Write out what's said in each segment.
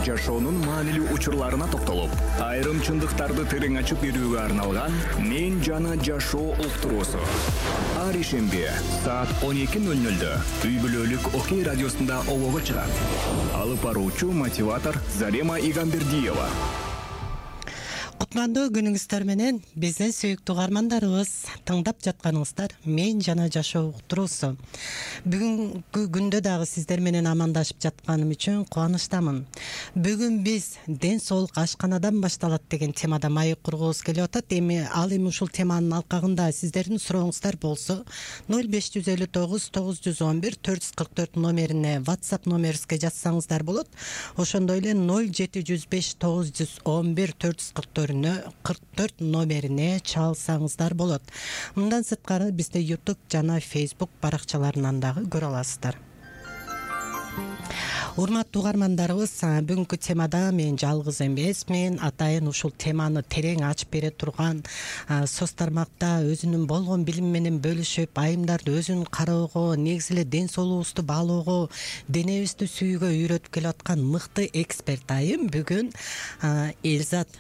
жашоонун маанилүү учурларына токтолуп, айрым чындыктарды терең ачып берүүгө арналган «Мен жана жашоо» уктуруусу. Ар ишемби саат 12:00 үй бүлөлүк Окей радиосунда обого чыгат. Алып баруучу мотиватор Зарема Игамбердиева. Кутмандуу күнүңүздөр менен биздин сүйүктүү угармандарыбыз, тыңдап жатканыңыздар «Мен жана жашоо» уктуруусу. Бүгүнкү күндө дагы сиздер менен амандашып жатканым үчүн кубанычтамын. Бүгүн биз ден соолук ашканадан башталат деген темада маек кургубуз келип атат. Ал эми ушул теманын алкагында сиздердин сурооңуздар болсо 0559 911 444 номерине WhatsApp номерибизге жазсаңыздар болот. Ошондой эле 0705 911 444 номерине чалсаңыздар болот. Мындан сырткары бизде YouTube жана Facebook баракчаларынан дагы көрө аласыздар. Урматтуу угармандарыбыз, бүгүнкү темада мен жалгыз эмесмин. Атайын ушул теманы терең ачып бере турган, соц тармакта өзүнүн болгон билими менен бөлүшүп, айымдарды өзүн кароого, негизи эле ден соолугубузду баалоого, денебизди сүйүүгө үйрөтүп келе аткан мыкты эксперт айым бүгүн Элзат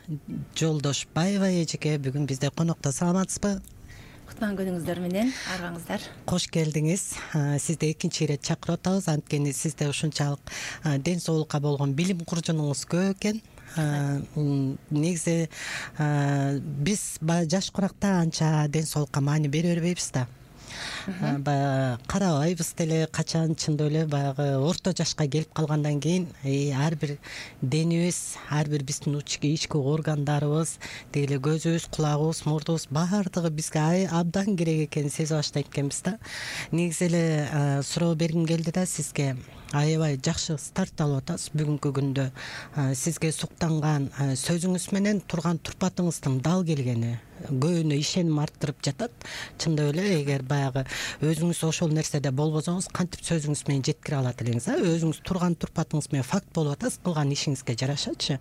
Жолдошбаева эжеке бүгүн бизде конокто. Саламатсызбы? Кутман күнүңүздөр менен аргаңыздар. Кош келдиңиз. Сизди экинчи ирет чакырып атабыз, анткени сизде ушунчалык ден соолукка болгон билим куржунуңуз көп экен. Негизи биз жаш куракта анча ден соолукка маани бере бербейбиз да. Карабайбыз деле, качан чындап эле баягы орто жашка келип калгандан кийин ар бир денибиз, ар бир биздин ички органдарыбыз, деги эле көзүбүз, кулагыбыз, мурдубуз баардыгы бизге абдан керек экенин сезип баштайт экенбиз да. Негизи эле суроо бергим келди да сизге. Аябай жакшы старт алып атасыз бүгүнкү күндө. Сизге суктанган сөзүңүз менен турган турпатыңыздын дал келгени көбүнө ишеним арттырып жатат. Чындап эле эгер баягы өзүңүз ошол нерседе болбосоңуз, кантип сөзүңүз менен жеткире алат элеңиз? Өзүңүз турган турпатыңыз менен факт болуп атасыз, кылган ишиңизге жарашачы.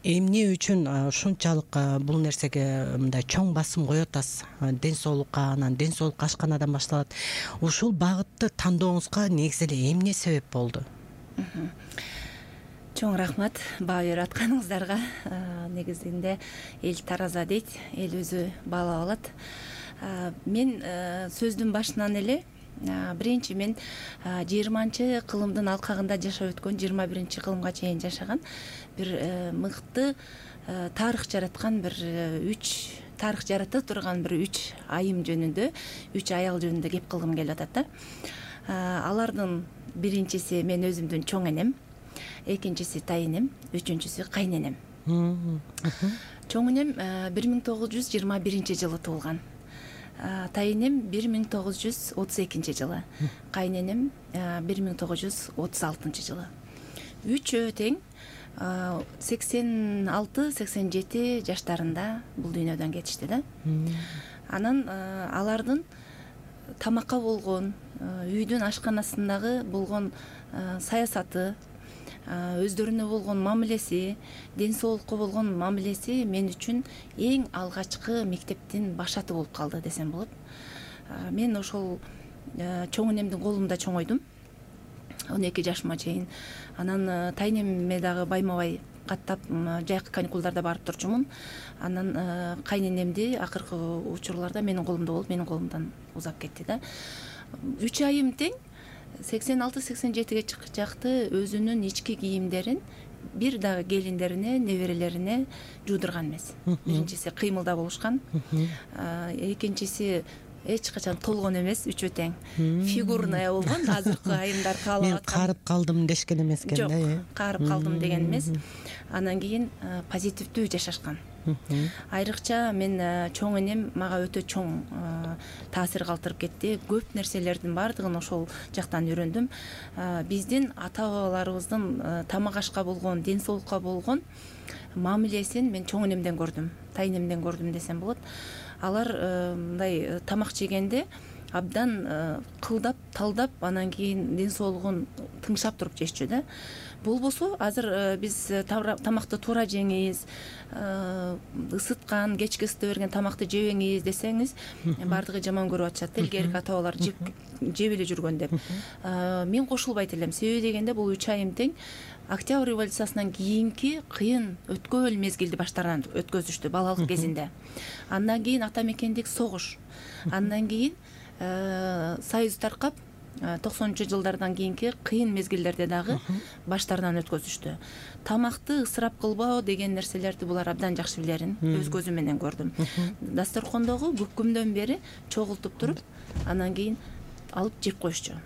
Эмне үчүн ушунчалык бул нерсеге мындай чоң басым коюп атасыз? Ден соолукка, анан ден соолук ашканадан башталат. Ушул багытты тандооңузга негизи эле эмне себеп болду? Чоң рахмат баа берип атканыңыздарга. Негизинде эл тараза дейт, эл өзү баалап алат. Мен сөздүн башынан эле биринчи мен 20-кылымдын алкагында жашап өткөн, 21 кылымга чейин жашаган бир мыкты тарых жараткан бир тарых жарата турган бир 3 айым жөнүндө, 3 аял жөнүндө кеп кылгым келип атат да. Алардын биринчиси мен өзүмдүн чоң энем, экинчиси тайынем, үчүнчүсү кайненем. Чоң энем 1921 жылы туулган. Тайынем 1932 жылы. Кайненем 1936 жылы. Үчөө тең 86-87 жаштарында бул дүйнөдөн кетишти да. Анан алардын тамакка болгон, үйдүн ашканасындагы болгон саясаты, өздөрүнө болгон мамилеси, ден соолукка болгон мамилеси мен үчүн эң алгачкы мектептин башаты болуп калды десем болот. Мен ошол чоң энемдин колунда чоңойдум 12 жашыма чейин. Анан тайнеме дагы байма-бай каттап жайкы каникулдарда барып турчумун. Анан кайненемди акыркы учурларда менин колумда болуп, менин колумдан узап кетти да. 3 айым тең 86-87-ге чыкты өзүнүн ички кийимдерин бир дагы келиндерине, неберелерине жуудурган эмес. Биринчиси кыймылда болушкан, экинчиси эч качан толгон эмес, үчөө тең фигурная болгон. Азыркы айымдар каалап мен карып калдым дешкен эмес экен да. Жок, карып калдым деген эмес. Анан кийин позитивдүү жашашкан. Айрыкча мен чоң энем мага өтө чоң таасир калтырып кетти. Көп нерселердин баардыгын ошол жактан үйрөндүм. Биздин ата-бабаларыбыздын тамак ашка болгон, ден соолукка болгон мамилесин мен чоң энемден көрдүм, тайнемден көрдүм десем болот. Алар мындай тамак жегенде абдан кылдап талдап анан кийин ден соолугун тыңшап туруп жешчү да. Болбосо азыр биз тамакты туура жеңиз, ысыткан кечки ысыта берген тамакты жебеңиз десеңиз баардыгы жаман көрүп атышат. Илгерки ата бабалар жеп эле жүргөн деп. Мен кошулбайт элем. Себеби дегенде бул 3 айым тең Октябрь революциясынан кийинки кыйын өткөөл мезгилди баштарынан өткөзүштү балалык кезинде. Андан кийин ата мекендик согуш. Андан кийин союз таркап 90-жылдардан кийинки кыйын мезгилдерде дагы баштарынан өткөзүштү. Тамакты ысырап кылбоо деген нерселерди булар абдан жакшы билерин, өз көзүм менен көрдүм. Дасторкондогу көккүмдөн бери чогултуп туруп, анан кийин алып жеп коюшчу.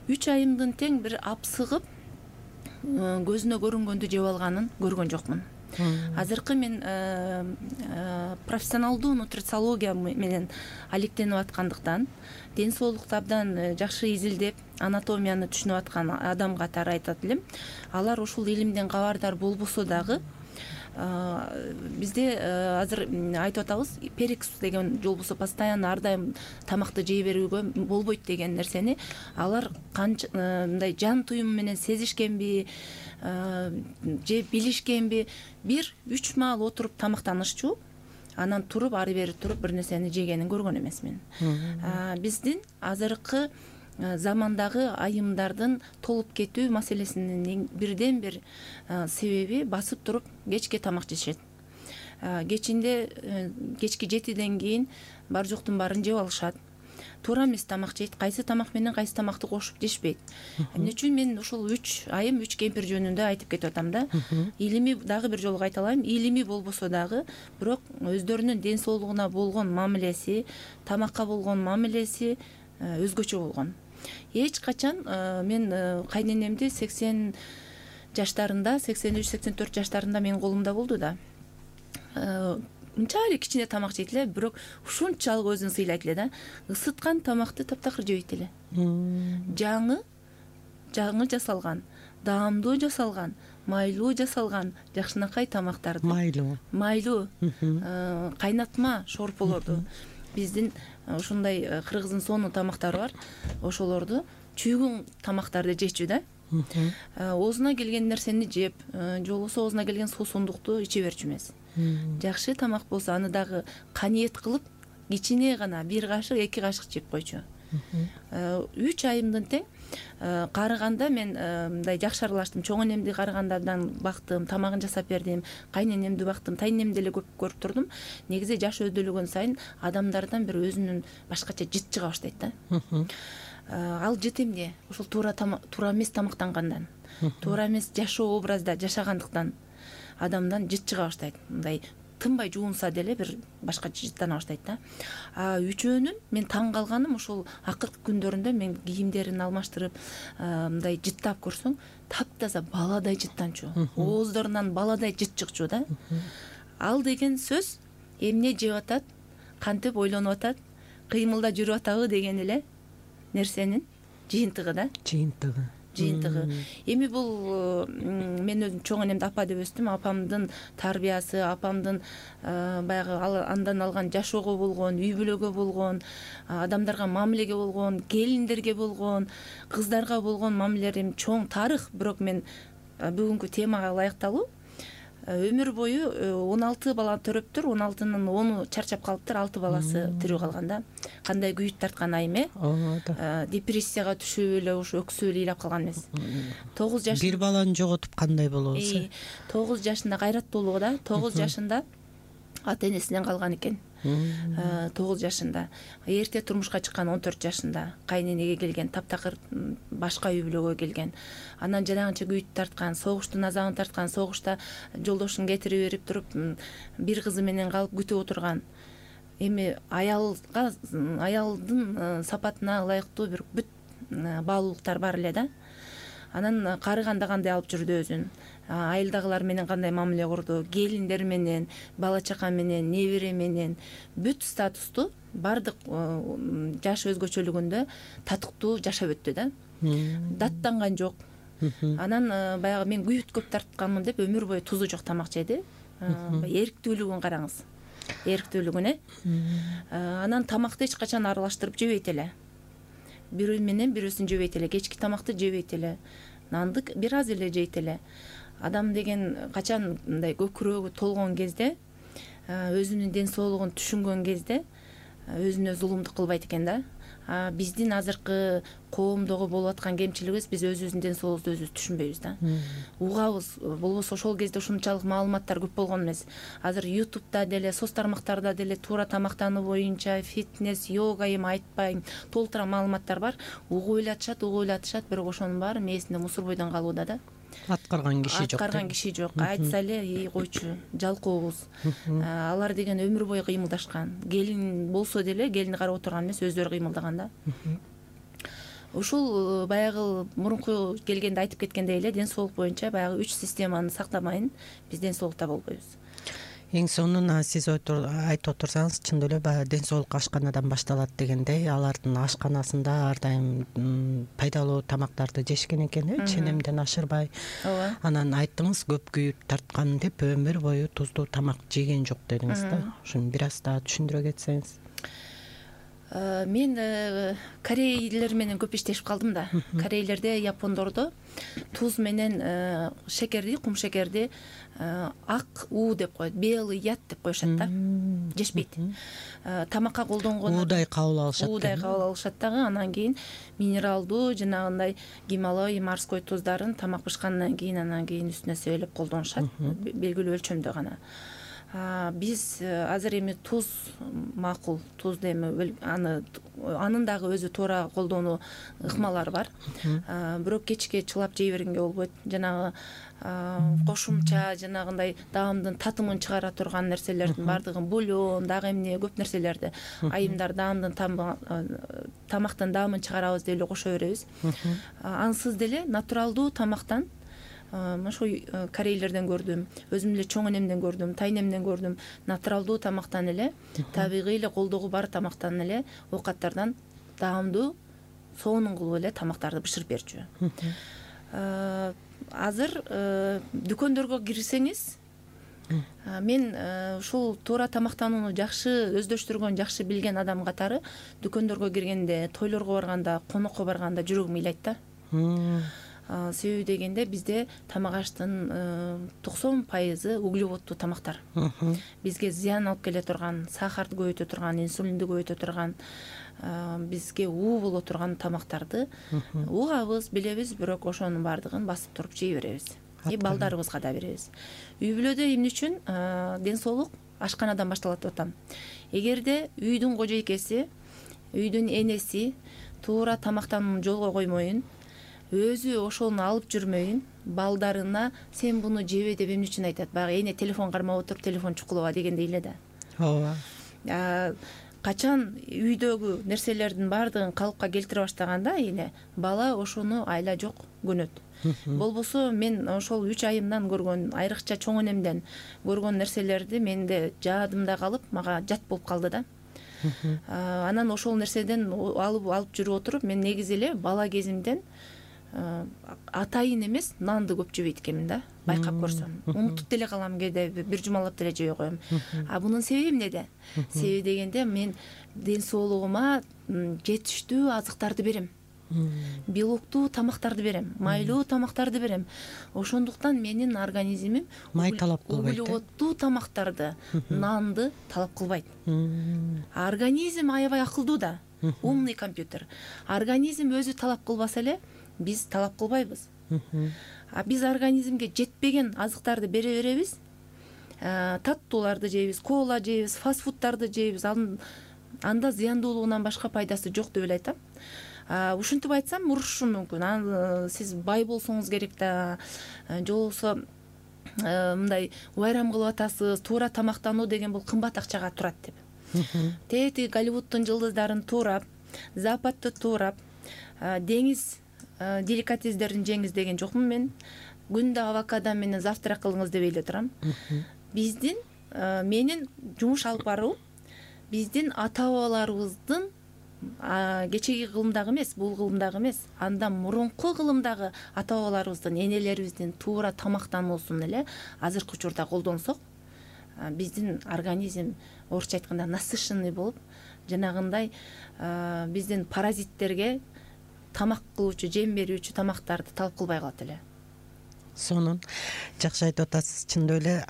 3 айымдын тең бир апсыгып көзүнө көрүнгөндү жеп алганын көргөн жокмун. Азыркы мен профессионалдуу нутрициология менен алектенип аткандыктан, ден соолукту абдан жакшы изилдеп, анатомияны түшүнүп аткан адам катары айтат элем. Алар ушул илимден кабардар болбосо дагы бизде азыр айтып атабыз, перекус деген же болбосо постоянно ар дайым тамакты жей берүүгө болбойт деген нерсени алар мындай жан туюму менен сезишкенби же билишкенби, 1-3 маал отуруп тамактанышчу, анан туруп ары бери туруп бир нерсени жегенин көргөн эмесмин. Биздин азыркы замандагы айымдардын толуп кетүү маселесинин бирден бир себеби басып туруп кечке тамак жешет. Кечки 7ден кийин бар жоктун баарын жеп алышат. Туура эмес тамак жейт. Кайсы тамак менен кайсы тамакты кошуп жешпейт. Эмне үчүн мен ушул 3 айым 3 кемпир жөнүндө айтып кетип атам да. Илимий дагы бир жолу кайталайм. Илимий болбосо дагы, бирок өздөрүнүн ден соолугуна болгон мамилеси, тамакка болгон мамилеси өзгөчө болгон. Эч качан мен кайненемди 80 жаштарында, 83-84 жаштарында менин колумда болду да. Мынчалык кичине тамак жейт эле, бирок ушунчалык өзүн сыйлайт эле да. Isыткан тамакты таптакыр жебейт эле. Жаңы жасалган, даамдуу жасалган, майлуу жасалган жакшынакай тамактарды. Майлуу. Кайнатма шорполорду. Биздин ушундай кыргыздын сонун тамактары бар. Ошолорду чүйгүн тамактарды жечү да. Оозуна келген нерсени жеп, же болбосо оозуна келген суусундукту иче берчү эмес. Жакшы тамак болсо аны дагы каниет кылып, кичине гана 1 кашык, 2 кашык жеп койчу. 3 айымдын тең карыганда мен мындай жакшы аралаштым. Чоң энемди карыгандардан бактым, тамагын жасап бердим, кайненемди бактым, тайненемди деле көп көрүп турдум. Негизи жаш өдөлөгөн сайын адамдардан бир өзүнүн башкача жыт чыга баштайт да. Ал жыт эмне? Ушул туура эмес тамактангандан, туура эмес жашоо образда жашагандыктан адамдан жыт чыга баштайт. Мындай тынбай жуунса деле бир башкача жыттана баштайт да. Үчөөнүн мен таң калганым ушул акыркы күндөрүндө мен кийимдерин алмаштырып, мындай жыттап көрсөң, таптаза баладай жыттанчу. Ооздорунан баладай жыт чыкчу да. Ал деген сөз эмне жеп атат, кантип ойлонуп атат, кыймылда жүрүп атабы деген эле нерсенин жыйынтыгы да. Жыйынтыгы. Эми бул мен өзүм чоң энемди апа деп өстүм. Апамдын тарбиясы, апамдын баягы андан алган жашоого болгон, үй бүлөгө болгон, адамдарга мамилеге болгон, келиндерге болгон, кыздарга болгон мамилелерим чоң тарых. Бирок мен бүгүнкү темага ылайыкталуу өмүр бою 16 бала төрөптүр, 16-нын 10-у чарчап калыптыр, 6 баласы тирүү калган да. Кандай күйүт тарткан айым депрессияга түшүп эле ушу өксүп эле ыйлап калган эмес. 9 жаш. Бир баланы жоготуп кандай болобуз? 9 жашында кайраттуулугу да, 9 жашында ата энесинен калган экен. 9 жашында. Эрте турмушка чыккан 14 жашында кайненеге келген, таптакыр башка үй бүлөгө келген. Анан жанагынча күйүт тарткан, согуштун азабын тарткан, согушта жолдошун кетирип берип туруп, бир кызы менен калып күтүп отурган. Эми аялдын сапатына ылайыктуу бир бүт баалуулуктар бар эле да. Анан карыганда кандай алып жүрдү өзүн, айылдагылар менен кандай мамиле курду, келиндер менен, бала чака менен, небере менен бүт статусту бардык жаш өзгөчөлүгүндө татыктуу жашап өттү да. Даттанган жок. Анан баягы мен күйүт көп тартканмын деп өмүр бою тузу жок тамак жеди. Эриктүүлүгүн караңыз. эрктүүлүгүнө. Анан тамакты эч качан аралаштырып жебейт эле. Бирөө менен бирөөсүн жебейт эле, кечки тамакты жебейт эле, нанды бир аз эле жейт эле. Адам деген качан мындай көкүрөгү толгон кезде, өзүнүн ден соолугун түшүнгөн кезде өзүнө зулумдук кылбайт экен да. Биздин азыркы коомдогу болуп аткан кемчилигибиз, биз өзүбүздүн ден соолугубузду өзүбүз түшүнбөйбүз да. Угабыз, болбосо ошол кезде ушунчалык маалыматтар көп болгон эмес. Азыр YouTube'да деле, соц тармактарда деле туура тамактануу боюнча фитнес, йога, эми айтпайм, толтура маалыматтар бар. Угуп эле атышат, бирок ошонун баары мээсинде мусор бойдон калууда да. Аткарган киши жок. Айтса эле, койчу, жалкообуз. Алар деген өмүр бою кыймылдашкан. Келин болсо деле келини карап отурган эмес, өздөрү кыймылдаган да. Ушул баягы мурунку келгенде айтып кеткендей эле, ден соолук боюнча баягы 3 системаны сактамайын, биз ден соолукта болбойбуз. Эң сонун сиз айтып отурсаңыз, чындап эле баягы ден соолук ашканадан башталат дегендей, алардын ашканасында ар дайым пайдалуу тамактарды жешкен экен, ченемден ашырбай. Ооба. Анан айттыңыз, көп күйүп тарткан деп өмүр бою туздуу тамак жеген жок дедиңиз да. Ушуну бир аз да түшүндүрө кетсеңиз. Мен корейлер менен көп иштешип калдым да. Корейлерде, япондордо туз менен шекерди, кум шекерди ак уу деп коет, белый яд деп коюшат да. Жешпейт. Тамакка колдонгон Уудай кабыл алышат. Уудай кабыл алышат дагы. Анан кийин минералдуу, жанагындай Гималай, морской туздарын тамак бышкандан кийин анан кийин үстүнө себелеп колдонушат, белгилүү өлчөмдө гана. Биз азыр эми туз макул, тузду эми анын дагы өзү туура колдонуу ыкмалары бар. Бирок кечке чылап жей бергенге болбойт. Жанагы кошумча жанагындай даамдын татымын чыгара турган нерселердин бардыгын, бульон, дагы эмне көп нерселерди, айымдар даамдын тамактын даамын чыгарабыз деп эле кошо беребиз. Ансыз деле натуралдуу тамактан ошо корейлерден көрдүм, өзүм эле чоң энемден көрдүм, тайнемден көрдүм. Натуралдуу тамактан эле, табигый эле колдогу бар тамактан эле, оокаттардан даамдуу соонун кылып эле тамактарды бышырып берчү. Азыр дүкөндөргө кирсеңиз, мен ушул туура тамактанууну жакшы өздөштүргөн, жакшы билген адам катары дүкөндөргө киргенде, тойлорго барганда, конокко барганда жүрөгүм ыйлайт да. Себеби дегенде бизде тамак аштын 90% углеводдуу тамактар. Бизге зыян алып келе турган, сахарды көбөйтө турган, инсулинди көбөйтө турган, бизге уу боло турган тамактарды угабыз, билебиз, бирок ошонун баардыгын басып туруп жей беребиз. И балдарыбызга да беребиз. Үй бүлөдө эмне үчүн ден соолук ашканадан башталат деп атам. Эгерде үйдүн кожойкеси, үйдүн энеси туура тамактанууну жолго коймойун, өзү ошону алып жүрмөйүн, балдарына сен буну жебе деп эмне үчүн айтат? Баягы эне телефон кармап отуруп, телефон чукулаба дегендей эле да. Ооба. Качан үйдөгү нерселердин баардыгын калыпка келтире баштаганда эне, бала ошону айла жок көнөт. Болбосо мен ошол 3 айымдан көргөн, айрыкча чоң энемден көргөн нерселерди менде жаадымда калып, мага жат болуп калды да. Анан ошол нерседен алып жүрүп отуруп, мен негизи эле бала кезимден атайын эмес, нанды көп жебейт экенмин да, байкап көрсөм. Унутуп деле калам, кээде бир жумалап деле жебей коем. Бунун себеби эмнеде? Себеби дегенде мен ден соолугума жетиштүү азыктарды берем. Белоктуу тамактарды берем, майлуу тамактарды берем. Ошондуктан менин организмим май талап кылбайт. Углеводдуу тамактарды, нанды талап кылбайт. Организм аябай акылдуу да, умный компьютер. Организм өзү талап кылбаса эле, биз талап кылбайбыз. Биз организмге жетпеген азыктарды бере беребиз. Таттууларды жейбиз, кола жейбиз, фастфудтарды жейбиз. Анда зыяндуулугунан башка пайдасы жок деп эле айтам. Ушинтип айтсам урушушум мүмкүн. Сиз бай болсоңуз керек да, же болбосо мындай байрам кылып атасыз, туура тамактануу деген бул кымбат акчага турат деп. Тети Голливуддун жылдыздарын туурап, Западты туурап, деңиз деликатесдерин жеңиз деген жокмун мен. Күндө авокадо менен завтрак кылыңыз деп эле турам. Биздин менин жумуш алып баруу биздин ата-бабаларыбыздын кечеги кылымдагы эмес, бул кылымдагы эмес, андан мурунку кылымдагы ата-бабаларыбыздын, энелерибиздин туура тамактануусун эле азыркы учурда колдонсок, биздин организм орусча айтканда насыщенный болуп, жанагындай биздин паразиттерге тамак кылуучу, жем берүүчү тамактарды талап кылбай калат эле. Сонун жакшы айтып атасыз. Чындап эле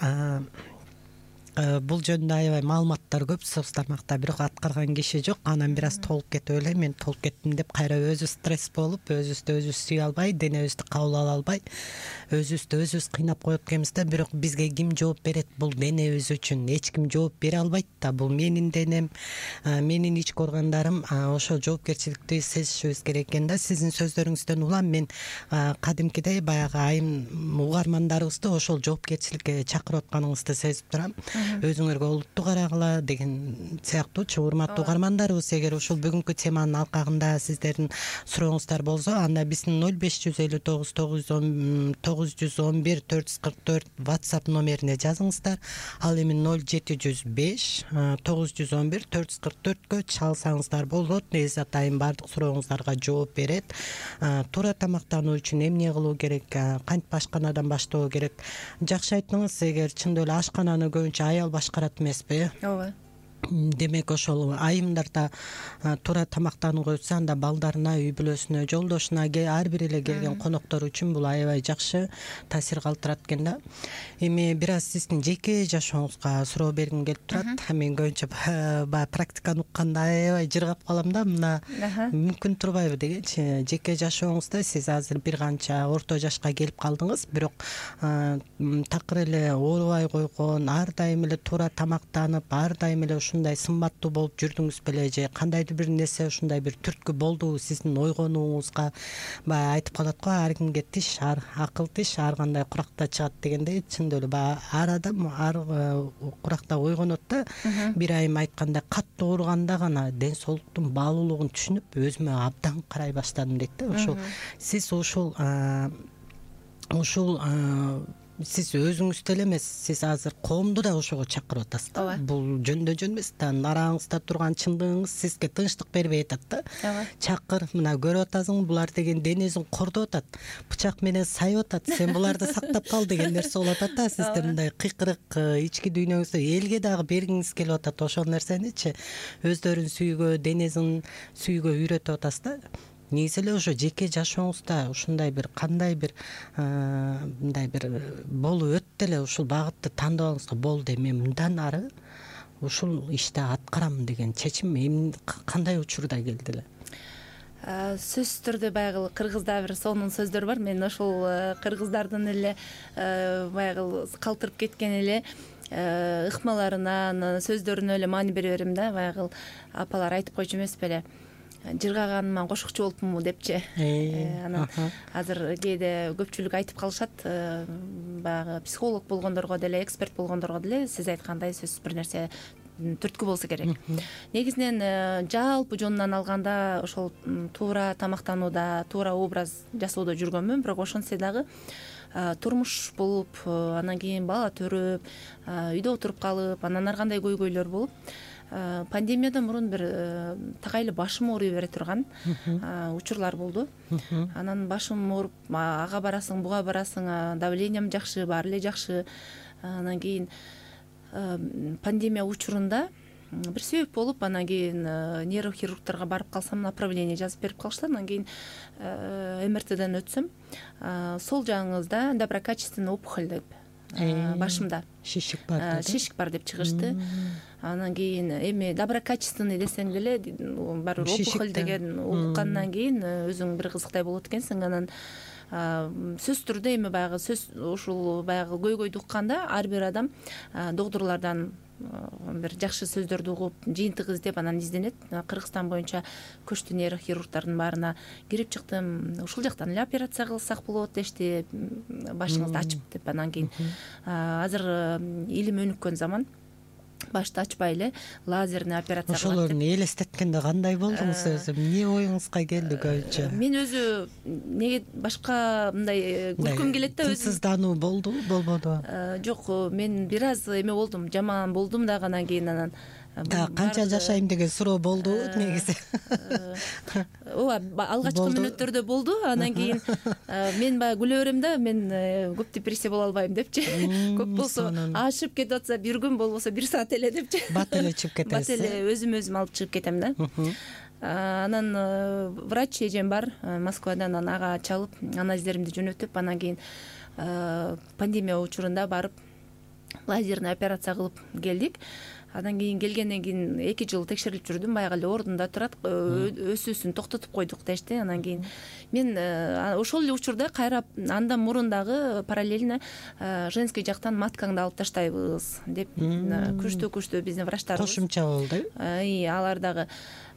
бул жөнүндө аябай маалыматтар көп соус тамакта, бирок аткарган киши жок. Анан бир аз толуп кетип эле мен толуп кеттим деп кайра өзү стресс болуп, өзүбүздү өзүбүз сүйө албай, денебизди кабыл ала албай, өзүбүздү өзүбүз кыйнап коюп кетебиз да. Бирок бизге ким жооп берет бул денебиз үчүн? Эч ким жооп бере албайт да. Бул менин денем, менин ички органдарым, ошол жоопкерчиликти сезишибиз керек экен да. Сиздин сөздөрүңүздөн улам мен кадимкидей баягы айым угармандарыбызды ошол жоопкерчиликке чакырып атканыңызды сезип турам. Өзүңөргө олуттуу карагыла деген сыяктуучу. Урматтуу угармандарыбыз, эгер ушул бүгүнкү теманын алкагында сиздердин сурооңуздар болсо, анда биздин 055991 WhatsApp номерине жазыңыздар. Ал эми 0705-911-444-кө чалсаңыздар болот. Незат айым баардык сурооңуздарга жооп берет. Туура тамактануу үчүн эмне кылуу керек, кантип ашканадан баштоо керек? Жакшы айттыңыз. Эгер чындап эле ашкананы көбүнчө аял башкарат эмеспи? Ооба. Демек ошол айымдарда туура тамактанууга өтсө, анда балдарына, үй бүлөсүнө, жолдошуна, ар бир эле келген коноктор үчүн бул аябай жакшы таасир калтырат экен да. Эми бир аз сиздин жеке жашооңузга суроо бергим келип турат. Мен көбүнчө баягы практиканы укканда аябай жыргап калам да, мына мүмкүн турбайбы дегенчи. Жеке жашооңузда сиз азыр бир канча орто жашка келип калдыңыз, бирок такыр эле оорубай койгон, ар дайым эле туура тамактанып, ар дайым эле ушундай сымбаттуу болуп жүрдүңүз беле, же кандайдыр бир нерсе ушундай бир түрткү болдубу сиздин ойгонууңузга? Баягы айтып калат го, ар кимге тиш, акыл тиш ар кандай куракта чыгат дегендей, чындап эле баягы ар адам ар куракта ойгонот да. Бир айым айткандай, катуу ооруганда гана ден соолуктун баалуулугун түшүнүп, өзүмө абдан карай баштадым дейт да. Ошол сиз сиз өзүңүздү эле эмес, сиз азыр коомду да ошого чакырып атасыз да. Бул жөн эмес да, нараңызда турган чындыгыңыз сизге тынчтык бербей атат да. Чакыр, мына көрүп атасың, булар деген денесин кордоп атат, бычак менен сайып атат, сен буларды сактап кал деген нерсе болуп атат да. Сизде мындай кыйкырык ички дүйнөңүздө элге дагы бергиңиз келип атат. Ошол нерсеничи өздөрүн сүйгөө, денесин сүйгөө үйрөтүп атасыз да. Негизи эле ошо жеке жашооңузда ушундай бир кандай бир мындай бир болуп өттү эле, ушул багытты тандабаңыз го, болду, мен мындан ары ушул ишти аткарам деген чечим кандай учурда келди эле? Сөзсүз түрдө баягы кыргызда бир сонун сөздөр бар. Мен ошол кыргыздардын эле баягы калтырып кеткен эле ыкмаларына, сөздөрүнө эле маани бере берем да. Баягы апалар айтып койчу эмес беле, жыргаганыма кошукчу болупмунбу депчи. Анан азыр кээде көпчүлүк айтып калышат, баягы психолог болгондорго деле, эксперт болгондорго деле сиз айткандай сөзсүз бир нерсе түрткү болсо керек. Негизинен жалпы жонунан алганда ошол туура тамактанууда, туура образ жасоодо жүргөнмүн, бирок ошентсе дагы турмуш болуп, анан кийин бала төрөп, үйдө отуруп калып, анан ар кандай көйгөйлөр болуп, пандемиядан мурун бир такайлы башым ооруй бере турган учурлар болду. Анан башым ооруп, ага барасың, буга барасың, давлениям жакшы, баары эле жакшы. Анан кийин пандемия учурунда бир себеп болуп, анан кийин нейрохирургдарга барып калсам, направление жазып берип калышты. Анан кийин МРТден өтсөм, сол жагыңызда доброкачественный опухоль деп, башымда шишик бар деп чыгышты. Анан кийин эми доброкачественный десең деле барыбыр опухоль деген уккандан кийин өзүң бир кызыктай болот экенсиң. Анан сөзсүз түрдө эми баягы ушул баягы көйгөйдү укканда ар бир адам доктурлардан бир жакшы сөздөрдү угуп, жыйынтык издеп анан изденет. Кыргызстан боюнча көчтү нейрохирургдардын баарына кирип чыктым. Ушул жактан эле операция кылсак болот дешти, башыңызды ачып деп. Анан кийин азыр илим өнүккөн заман, башты ачпай эле лазерный операция кылат. Ошолорду элестеткенде кандай болдуңуз өзү? Эмне оюңузга келди көбүнчө? Мен өзү неге башка мындай күлкүм келет да, өзү тынчсыздануу болдубу, болбодубу? Жок, мен бир аз эме болдум, жаман болдум дагы. Анан кийин Канча жашайм деген суроо болду негизи. Ооба, алгачкы мүнөттөрдө болду. Андан кийин мен баягы күлө берем да, мен көп депрессия боло албайм депчи. Көп болсо ашып кетип атса бир күн, болбосо бир саат эле депчи. Бат эле чыгып кетесиз. Бат эле өзүм алып чыгып кетем да. Анан врач эжем бар Москвадан, анан ага чалып анализдеримди жөнөтүп, анан кийин пандемия учурунда барып лазерный операция кылып келдик. Андан кийин келгенден кийин 2 жыл текшерилип жүрдүм. Баягы эле ордунда турат, өсүүсүн токтотуп койдук дешти. Андан кийин мен ошол эле учурда кайра андан мурун дагы параллельно женский жактан маткаңды алып таштайбыз деп күчтүү биздин врачтарыбыз кошумча болду. Алар дагы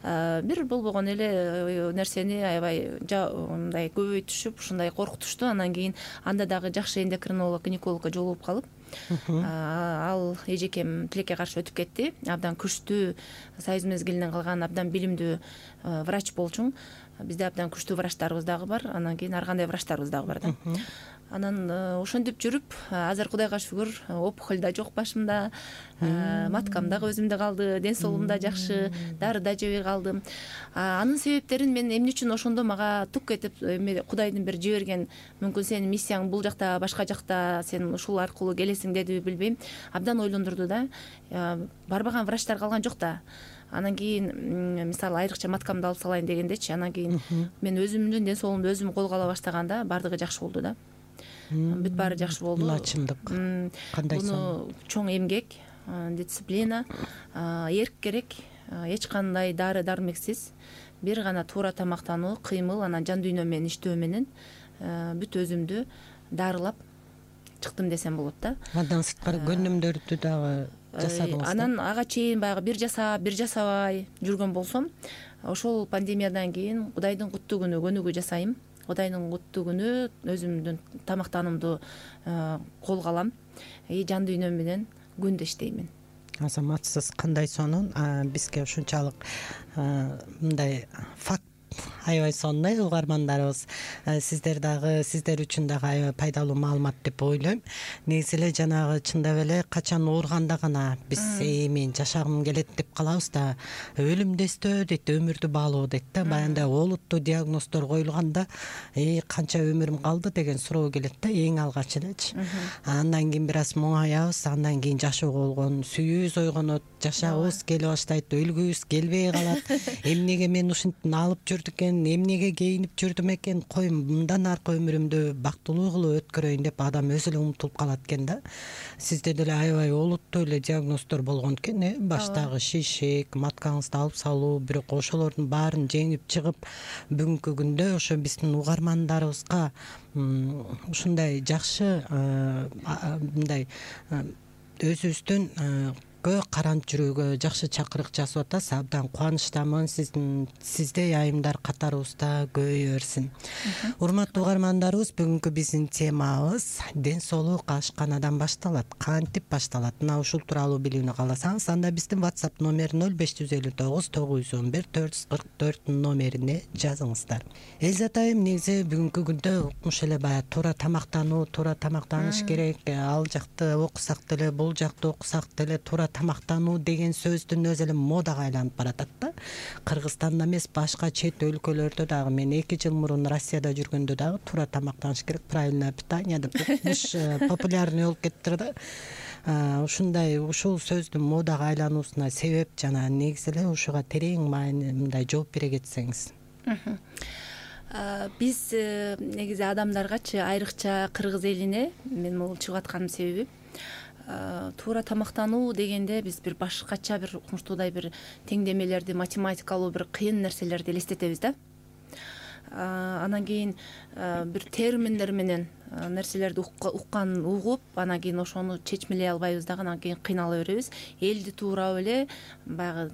бир болбогон эле нерсени аябай мындай көбөйтүшүп, ушундай коркутушту. Андан кийин анда дагы жакшы эндокринолог, гинекологко жолугуп калып, ал эжекем тилекке каршы өтүп кетти. Абдан күчтүү, союз мезгилинен калган абдан билимдүү врач болчуң. Бизде абдан күчтүү врачтарыбыз дагы бар. Анан кийин ар кандай врачтарыбыз дагы бар да. Анан ошентип жүрүп, азыр Кудайга шүгүр, опухоль да жок башымда, маткам дагы өзүмдө калды, ден соолугум да жакшы, дары да жебей калдым. Анын себептерин мен эмне үчүн ошондо мага тук этип Кудайдын бир жиберген, мүмкүн сенин миссияң бул жакта, башка жакта, сен ушул аркылуу келесиң дедиби билбейм, абдан ойлондурду да. Барбаган врачтар калган жок да. Анан кийин мисалы айрыкча маткамды алып салайын дегендечи, анан кийин мен өзүмдүн ден соолугумду өзүм колго ала баштаганда баардыгы жакшы болду да. Бүт баары жакшы болду. Бул чындык. Кандай Буну чоң эмгек, дисциплина, эрк керек, эч кандай дары дармексиз, бир гана туура тамактануу, кыймыл, анан жан дүйнө менен иштөө менен бүт өзүмдү дарылап чыктым десем болот да. Андан сырткары көнүмдөрдү дагы жасадыңыз. Анан ага чейин баягы бир жасап, бир жасабай жүргөн болсом, ошол пандемиядан кийин Кудайдын куттуу күнү көнүгүү жасайм. Кудайдын куттуу күнү өзүмдүн тамактанымды колго алам. Жан дүйнөм менен күндө иштеймин. Азаматсыз, кандай сонун. Бизге ушунчалык мындай факт аябай сонун угармандарыбыз. Сиздер үчүн дагы аябай пайдалуу маалымат деп ойлойм. Негизи эле жанагы чындап эле качан ооруганда гана биз мен жашагым келет деп калабыз да, өлүмдөстө дейт, өмүрдү баалоо дейт да. Баягындай олуттуу диагноздор коюлганда канча өмүрүм калды деген суроо келет да, эң алгач элечи. Андан кийин бир аз моңаябыз, андан кийин жашоого болгон сүйүүбүз ойгонот, жашагыбыз келе баштайт, өлгүбүз келбей калат. Эмнеге мен ушинтип алып жүрдү экен, эмнеге кейинип жүрдүм экен, кой мындан аркы өмүрүмдү бактылуу кылып өткөрөйүн деп адам өзү эле умтулуп калат экен да. Сизде деле аябай олуттуу эле диагноздор болгон экен, баштагы шишик, маткаңызды алып салуу, бирок ошолордун баарын жеңип чыгып, бүгүнкү күндө ошо биздин угармандарыбызга ушундай жакшы мындай өзүбүздүн карант жүрүүгө жакшы чакырык жасап атасыз. Абдан кубанычтамын. Сиздей айымдар катарыбызда көбөйө берсин. Урматтуу угармандарыбыз, бүгүнкү биздин темабыз ден соолук ашканадан башталат. Кантип башталат? Мына ушул тууралуу билүүнү кааласаңыз, анда биздин WhatsApp номери 0559 911 444 номерине жазыңыздар. Элзат айым, негизи бүгүнкү күндө укмуш эле баягы туура тамактануу, туура тамактаныш керек. Ал жакты окусак деле, бул жакты окусак деле туура тамактануу деген сөздүн өзү эле модага айланып баратат да. Кыргызстанда эмес, башка чет өлкөлөрдө дагы, мен 2 жыл мурун Россияда жүргөндө дагы туура тамактаныш керек, правильное питание деп популярный болуп кеттир да. Ушундай ушул сөздүн модага айлануусуна себеп жана негизи эле ушуга терең мындай жооп бере кетсеңиз. Биз негизи адамдаргачы, айрыкча кыргыз элине мен бул чыгып атканымдын себеби туура тамактануу дегенде биз бир башкача, бир укмуштуудай бир теңдемелерди, математикалуу бир кыйын нерселерди элестетебиз да. Анан кийин бир терминдер менен нерселерди угуп, анан кийин ошону чечмелей албайбыз дагы, анан кийин кыйнала беребиз. Элди туурап эле баягы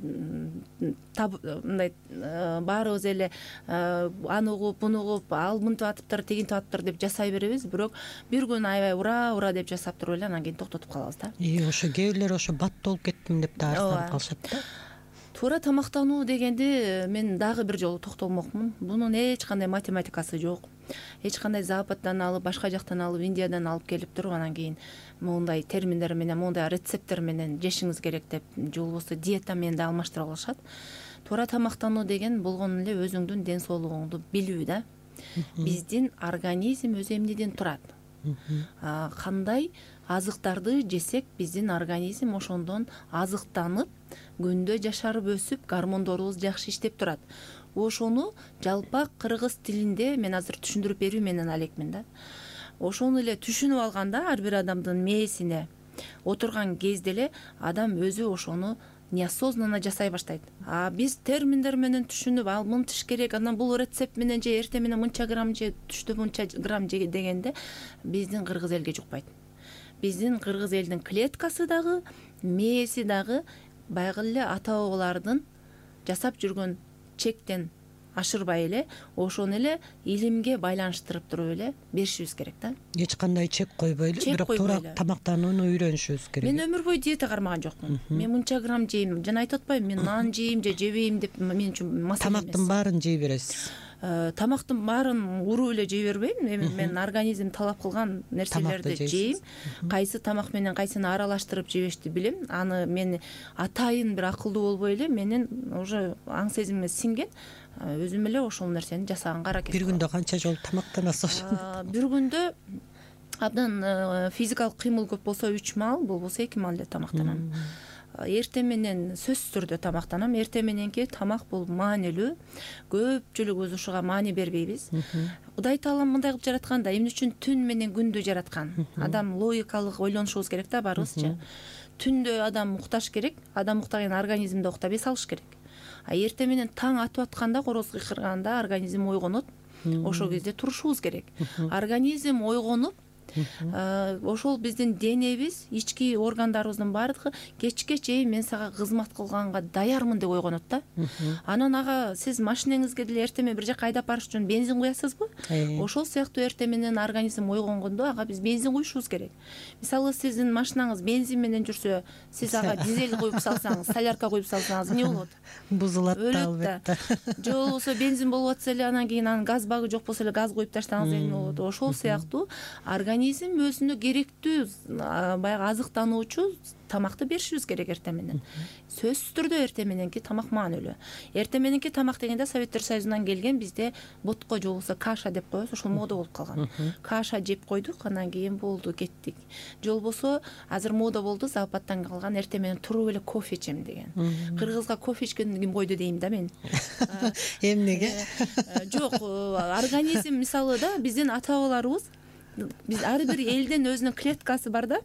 мындай баарыбыз эле аны угуп, буну угуп, ал мынтип атыптыр, тигинтип атыптыр деп жасай беребиз. Бирок бир күн аябай ура деп жасап туруп эле анан кийин токтотуп калабыз да. Ошо кээ бирлер ошо баттолуп кеттим деп да арызданып калышат да. Туура тамактануу дегенди мен дагы бир жолу токтолмокмун. Бунун эч кандай математикасы жок. эч кандай Западдан алып, башка жактан алып, Индиядан алып келип туруп, анан кийин моундай терминдер менен, моундай рецепттер менен жешиңиз керек деп, же болбосо диета менен да алмаштыра алышат. Туура тамактануу деген болгону эле өзүңдүн ден соолугуңду билүү да. Биздин организм өзү эмнеден турат? Кандай азыктарды жесек биздин организм ошондон азыктанып, күндө жашарып өсүп, гормондорубуз жакшы иштеп турат. Ошону жалпак кыргыз тилинде мен азыр түшүндүрүп берүү менен алекмин да. Ошону эле түшүнүп алганда, ар бир адамдын мээсине отурган кезде эле адам өзү ошону неосознанно жасай баштайт. Биз терминдер менен түшүнүп, мынтыш керек, анан бул рецепт менен же, эртең менен мынча грамм же, түштө мынча грамм же дегенде биздин кыргыз элге жукпайт. Биздин кыргыз элдин клеткасы дагы, мээси дагы баягы эле ата бабалардын жасап жүргөн чектен ашырбай эле, ошону эле илимге байланыштырып туруп эле беришибиз керек да. Эч кандай чек койбой эле, бирок туура тамактанууну үйрөнүшүбүз керек. Мен өмүр бою диета кармаган жокмун. Мен мынча грамм жейм, жана айтып атпайбы, мен нан жейм же жебейм деп мен үчүн маселе эмес. Тамактын баарын жей бересиз. Тамактын баарын уруп эле жей бербейм. Мен организм талап кылган нерселерди жейм. Кайсы тамак менен кайсыны аралаштырып жебешти билем. Аны мен атайын бир акылдуу болбой эле, менин уже аң сезимиме сиңген. Өзүм эле ошол нерсени жасаганга аракет кылам. Бир күндө канча жолу тамактанасыз? Бир күндө абдан физикалык кыймыл көп болсо 3 маал, болбосо 2 маал эле тамактанам. Эртең менен сөзсүз түрдө тамактанам. Эртең мененки тамак бул маанилүү. Көпчүлүгүбүз ушуга маани бербейбиз. Кудай Таалам мындай кылып жараткан да, эмне үчүн түн менен күндү жараткан? Адам логикалык ойлонушубуз керек да баарыбызчы. Түндө адам укташ керек, адам уктаган организмди уктап эс алыш керек. Эртең менен таң атып атканда, короз кыйкырганда организм ойгонот. Ошол кезде турушубуз керек. Организм ойгонуп, ошол биздин денебиз, ички органдарыбыздын баардыгы кечке чейин мен сага кызмат кылганга даярмын деп ойгонот да. Анан ага сиз машинеңизге деле эртең менен бир жака айдап барыш үчүн бензин куясызбы? Ошол сыяктуу эртең менен организм ойгонгондо ага биз бензин куюшубуз керек. Мисалы сиздин машинаңыз бензин менен жүрсө, сиз ага дизель куюп салсаңыз, солярка куюп салсаңыз эмне болот? Бузулат да, албетте. Же болбосо бензин болуп атса эле, анан кийин анын газ багы жок болсо эле газ куюп таштаңыз, эмне болот? Ошол сыяктуу организм өзүнө керектүү баягы азыктануучу тамакты беришибиз керек эртең менен. Сөзсүз түрдө эртең мененки тамак маанилүү. Эртең мененки тамак дегенде Советтер Союзунан келген, бизде ботко же болбосо каша деп коебуз, ошол мода болуп калган. Каша жеп койдук, анан кийин болду, кеттик. Же болбосо азыр мода болду, Западтан калган, эртең менен туруп эле кофе ичем деген. Кыргызга кофе ичкенди ким койду дейм да мен. Эмнеге? Жок, организм мисалы да биздин ата бабаларыбыз, биз ар бир элдин өзүнүн клеткасы бар да.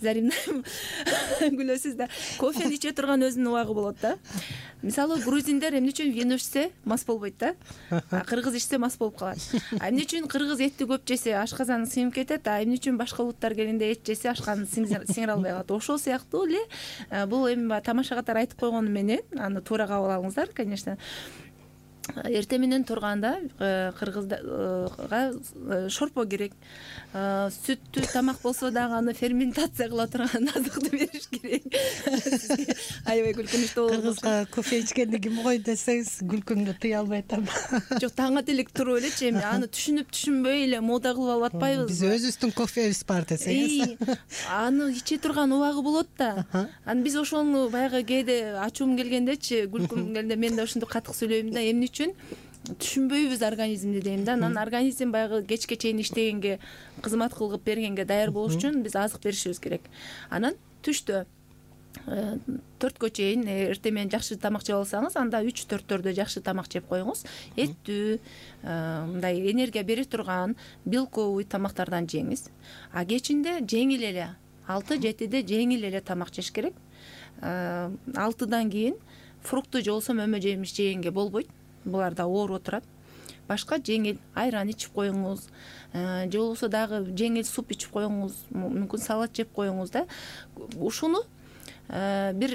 Заримна күлөсүз да. Кофени иче турган өзүнүн убагы болот да. Мисалы грузиндер эмне үчүн вино ичсе мас болбойт да. Кыргыз ичсе мас болуп калат. Эмне үчүн кыргыз этти көп жесе ашказаны сиңип кетет, эмне үчүн башка улуттар келгенде эт жесе ашказаны сиңире албай калат. Ошол сыяктуу эле бул эми тамаша катары айтып койгону менен аны туура кабыл алыңыздар, конечно. Эртең менен турганда кыргызга шорпо керек. Сүттүү тамак болсо дагы аны ферментация кыла турган азыкты бериш керек. Аябай күлкүнүчтүү болот. Кыргызга кофе ичкенди ким койду десеңиз, күлкүңдү тыя албай атам. Жок, таң ата элек туруп элечи, эми аны түшүнүп түшүнбөй эле мода кылып алып атпайбызбы? Биз өзүбүздүн кофебиз бар десеңиз. Аны иче турган убагы болот да. Анан биз ошону баягы кээде ачуум келгендечи, күлкүм келгенде мен да ушунду катык сүйлөйм да, эмне үчүн түшүнбөйбүз организмди дейм да. Анан организм баягы кечке чейин иштегенге, кызмат кылып бергенге даяр болуш үчүн биз азык беришибиз керек. Анан түштө 4кө чейин эртең менен жакшы тамак жеп алсаңыз, анда 3-4төрдө жакшы тамак жеп коюңуз. Эттүү, мындай энергия бере турган белковый тамактардан жеңиз. Кечинде жеңил эле 6-7де жеңил эле тамак жеш керек. 6-дан кийин фрукты же болбосо мөмө жемиш жегенге болбойт. Булар да ооруп турат. Башка жеңил айран ичип коюңуз, же болбосо дагы жеңил суп ичип коюңуз, мүмкүн салат жеп коюңуз да. Ушуну бир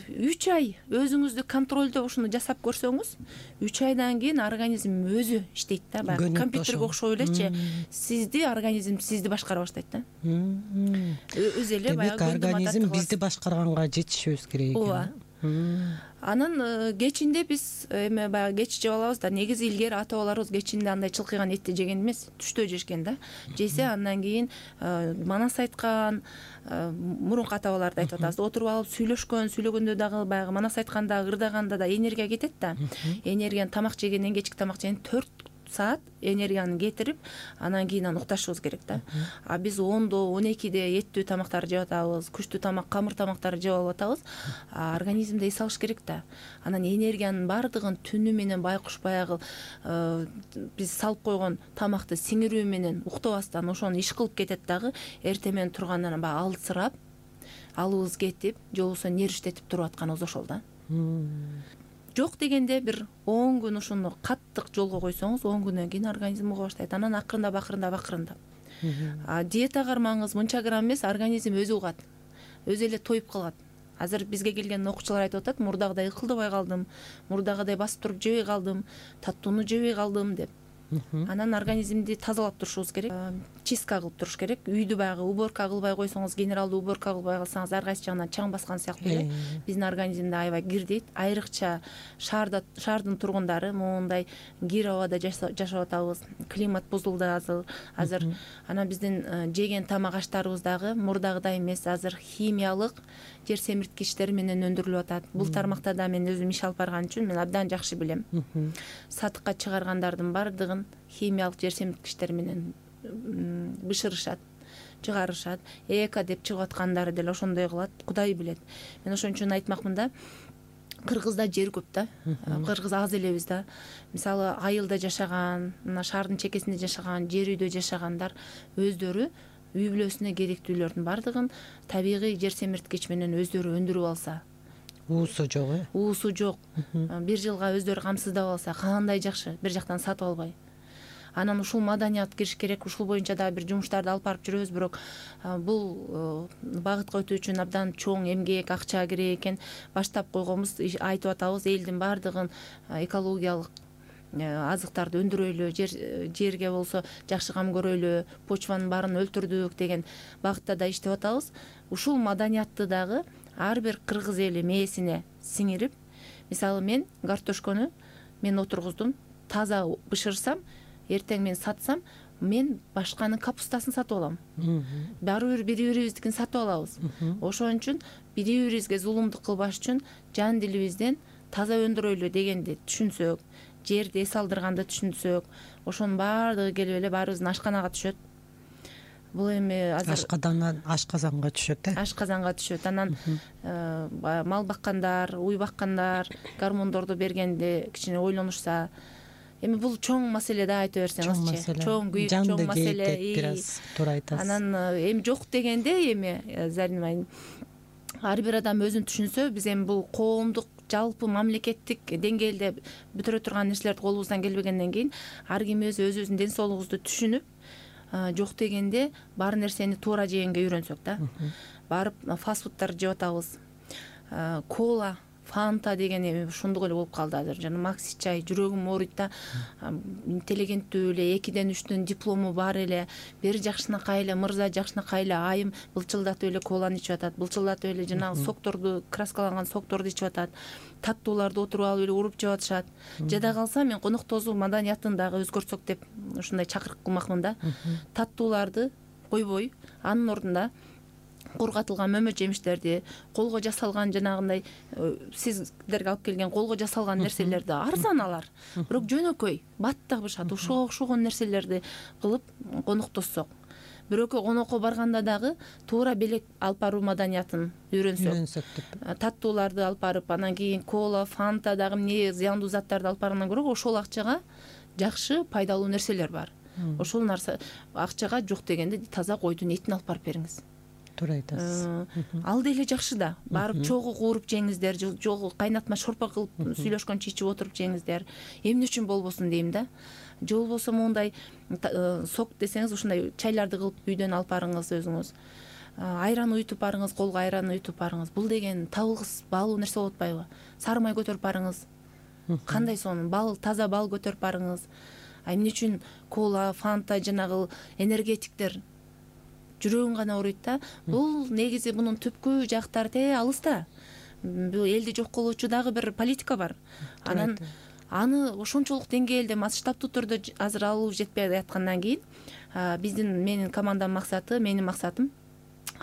3 ай өзүңүздү контролдо ушуну жасап көрсөңүз, 3 айдан кийин организм өзү иштейт да. Баягы компьютерге окшоп элечи, сизди организм сизди башкара баштайт да. Өзү эле баягы организм бизди башкарганга жетишибиз керек экен. Ооба. Анан кечинде биз эме баягы кеч жеп алабыз да. Негизи илгери ата бабаларыбыз кечинде андай чылкыган этти жеген эмес, түштө жешкен да. Жесе андан кийин манас айткан, мурунку ата бабаларды айтып атабыз. Отуруп алып сүйлөгөндө дагы баягы манас айтканда, ырдаганда да энергия кетет да. Энергияны тамак жегенден, кечки тамак жегенден 4 саат энергияны кетирип, анан кийин укташыбыз керек да. А биз 10-до, 12-де эттүү тамактарды жеп атабыз, күчтүү тамак, камыр тамактарды жеп алып атабыз. Организмде эс алыш керек да. Анан энергиянын бардыгын түнү менен байкуш баягы биз салып койгон тамакты сиңирүү менен уктабастан ошону иш кылып кетет дагы. Эртең менен тургандан баягы алсырап, алыбыз кетип, же болбосо нервиштетип туруп атканыбыз ошол да. Жок дегенде бир 10 күн ушуну каттык жолго койсоңуз, 10 күндөн кийин организм уга баштайт. Анан акырындап. Диета кармаңыз, мынча грамм эмес, организм өзү угат. Өзү эле тоюп калат. Азыр бизге келген окуучулар айтып атат, мурдагыдай ыкылдабай калдым, мурдагыдай басып туруп жебей калдым, таттууну жебей калдым деп. Анан организмди тазалап турушубуз керек. Чистка кылып туруш керек. Үйдү баягы уборка кылбай койсоңуз, генералдуу уборка кылбай калсаңыз, ар кайсы жагынан чаң баскан сыяктуу эле биздин организмде аябай кир дейт. Айрыкча шаардын тургундары моундай кир абада жашап атабыз. Климат бузулду азыр. Анан биздин жеген тамак аштарыбыз дагы мурдагыдай эмес. Азыр химиялык жер семирткичтер менен өндүрүлүп атат. Бул тармакта да мен өзүм иш алып барган үчүн мен абдан жакшы билем. Сатыкка чыгаргандардын бардыгын химиялык жер семирткичтер менен бышырышат, чыгарышат. Эко деп чыгып аткандары деле ошондой кылат, Кудай билет. Мен ошон үчүн айтмакмын да, Кыргызда жер көп да. Кыргыз аз элебиз да. Мисалы, айылда жашаган, мына шаардын чекесинде жашаган, жер үйдө жашагандар өздөрү үй бүлөсүнө керектүүлөрдүн бардыгын табигый жер семирткич менен өздөрү өндүрүп алса, уусу жок, уусу жок, бир жылга өздөрү камсыздап алса, кандай жакшы, бир жактан сатып албай. Анан ушул маданият кириш керек, ушул боюнча дагы бир жумуштарды алып барып жүрөбүз, бирок бул багытка өтүү үчүн абдан чоң эмгек, акча керек экен. Баштап койгонбуз, айтып атабыз, элдин бардыгын экологиялык азыктарды өндүрөйлү, жерге болсо жакшы кам көрөйлү, почванын баарын өлтүрдүк деген багытта да иштеп атабыз. Ушул маданиятты дагы ар бир кыргыз эли мээсине сиңирип, мисалы мен картошкону мен отургуздум, таза бышырсам, эртең мен сатсам, мен башканын капустасын сатып алам. Баары бир бири-бирибиздикин сатып алабыз. Ошон үчүн бири-бирибизге зулумдук кылбаш үчүн жан дилибизден таза өндүрөйлү дегенди түшүнсөк, жерди эс алдырганды түшүнсөк, ошонун баардыгы келип эле баарыбыздын ашканага түшөт. Бул эми азыр ашказанга түшөт, ашказанга түшөт. Анан мал баккандар, уй баккандар гормондорду бергенде кичине ойлонушса, эми бул чоң маселе да, айта берсеңизчи. Чоң күйүк, чоң маселе. Бир аз туура айтасыз. Анан эми жок дегенде эми Зарина айым, ар бир адам өзүн түшүнсө, биз эми бул коомдук жалпы мамлекеттик деңгээлде бүтүрө турган нерселерди колубуздан келбегенден кийин ар ким өзүбүздүн ден соолугубузду түшүнүп, жок дегенде бар нерсени туура жегенге үйрөнсөк да. Барып фастфудтарды жеп атабыз. Кола, фанта деген эми ушундук эле болуп калды азыр. Жана макси чай, жүрөгүм ооруйт да. Интеллигенттүү эле 2ден 3төн диплому бар эле, бир жакшынакай эле мырза, жакшынакай эле айым былчылдатып эле коланы ичип атат, былчылдатып эле жанагы сокторду, краскаланган сокторду ичип атат, таттууларды отуруп алып эле уруп жеп атышат. Жада калса мен конок тосуу маданиятын дагы өзгөртсөк деп ушундай чакырык кылмакмын да. Таттууларды койбой, анын ордуна кургатылган мөмө жемиштерди, колго жасалган жанагындай сиздерге алып келген колго жасалган нерселерди, арзан алар, бирок жөнөкөй, баттак бышат, ушуга окшогон нерселерди кылып коноктоссок, бирөккө конокко барганда дагы туура белек алып баруу маданиятын үйрөнсөк деп, таттууларды алып барып, анан кийин кола, фанта дагы эмне зыяндуу заттарды алып баргандан көрө ошол акчага жакшы, пайдалуу нерселер бар. Ошол нарса акчага жок дегенде таза койдун этин алып барып бериңиз. Туура айтасыз. Ал деле жакшы да. Барып чогуу кууруп жеңиздер, жогу кайнатма шорпа кылып сүйлөшкөнчө ичип отуруп жеңиздер. Эмне үчүн болбосун дейм да. Же болбосо моундай сок десеңиз, ушундай чайларды кылып үйдөн алып барыңыз өзүңүз. Айран уютуп барыңыз, колго айран уютуп барыңыз. Бул деген табылгыс баалуу нерсе болуп атпайбы? Сары май көтөрүп барыңыз. Кандай сонун бал, таза бал көтөрүп барыңыз. Эмне үчүн кола, фанта, жанагы энергетиктер жүрөгүң гана ооруйт да. Бул негизи мунун түпкү жактары алыс да. бул элди жок кылуучу дагы бир политика бар. Анан аны ошончолук деңгээлде масштабтуу түрдө азыр алуу жетпей аткандан кийин менин командамдын максаты, менин максатым